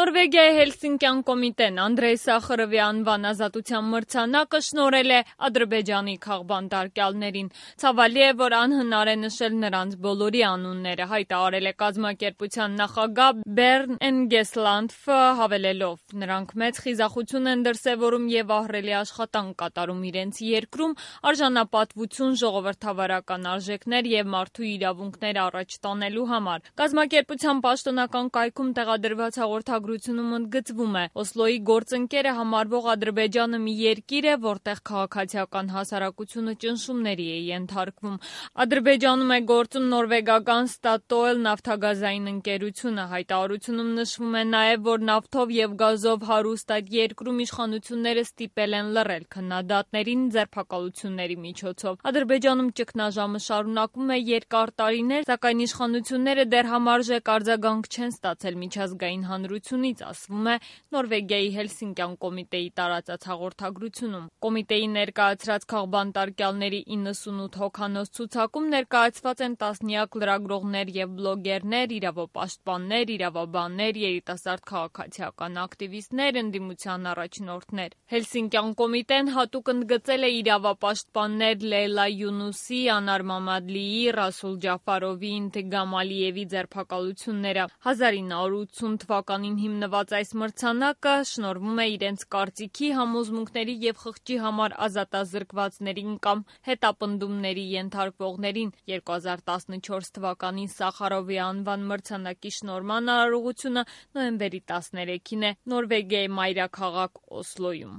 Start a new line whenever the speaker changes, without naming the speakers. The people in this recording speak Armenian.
Նորվեգիայի Հելսինկյան կոմիտեն Անդրեյ Սախարովի անվան ազատության մրցանակը շնորհել է Ադրբեջանի քաղբանտարկյալներին։ Ցավալի է, որ անհնար է նշել նրանց բոլորի անունները, հայտարարել է կազմակերպության նախագահ Բերն Էնգեսլանդֆը, հավելելով. նրանք մեծ խիզախություն են դրսևորում եւ ահռելի աշխատանք կատարում իրենց երկրում արժանապատվություն, ժողովրդավարական արժեքներ եւ մարդու իրավունքներ առաջ տանելու համար։ Կազմակերպության պաշտոնական կայքում տեղադրված հաղորդագրությունում ընդգծվում է. Օսլոյի գործընկերը համարվող Ադրբեջանը մի երկիր է, որտեղ քաղաքացիական հասարակությունը ճնշումների է ենթարկվում։ Ադրբեջանում է գործում նորվեգական Statoil նավթագազային ընկերությունը։ Հայտարարությունում նշվում է նաև, որ նավթով եւ գազով հարուստ այդ երկրում իշխանությունները ստիպել են լռել քննադատներին ձերբակալությունների միջոցով։ Ադրբեջանում ճգնաժամը շարունակվում է երկար տարիներ, սակայն իշխանությունները դեռ համարժեք արձագանք չեն ստացել միջազգային հանրությունից, ասվում է Նորվեգիայի Հելսինկյան կոմիտեի տարածած հաղորդագրությունում։ Կոմիտեի ներկայացրած քաղբանտարկյալների 98 հոգանոց ցուցակում ներկայացված են տասնյակ լրագրողներ եւ բլոգերներ, իրավապաշտպաններ, իրավաբաններ, երիտասարդ քաղաքացիական ակտիվիստներ, ընդդիմության առաջնորդներ։ Հելսինկյան կոմիտեն հատուկ ընդգծել է իրավապաշտպաններ Լեյլա Յունուսի, Անար Մամադլիի, Ռասուլ Ջաֆարովի, Ինթիգամ Ալիևի ձերբակալությունները։ 1980 թվականին հիմնված այս մրցանակը շնորհվում է իրենց կարծիքի, համոզմունքների եւ խղճի համար ազատազրկվածներին կամ հետապնդումների ենթարկվողներին։ 2014 թվականին Սախարովի անվան մրցանակի շնորհման արարողությունը նոյեմբերի 13-ին է Նորվեգիայի մայրաքաղաք Օսլոյում։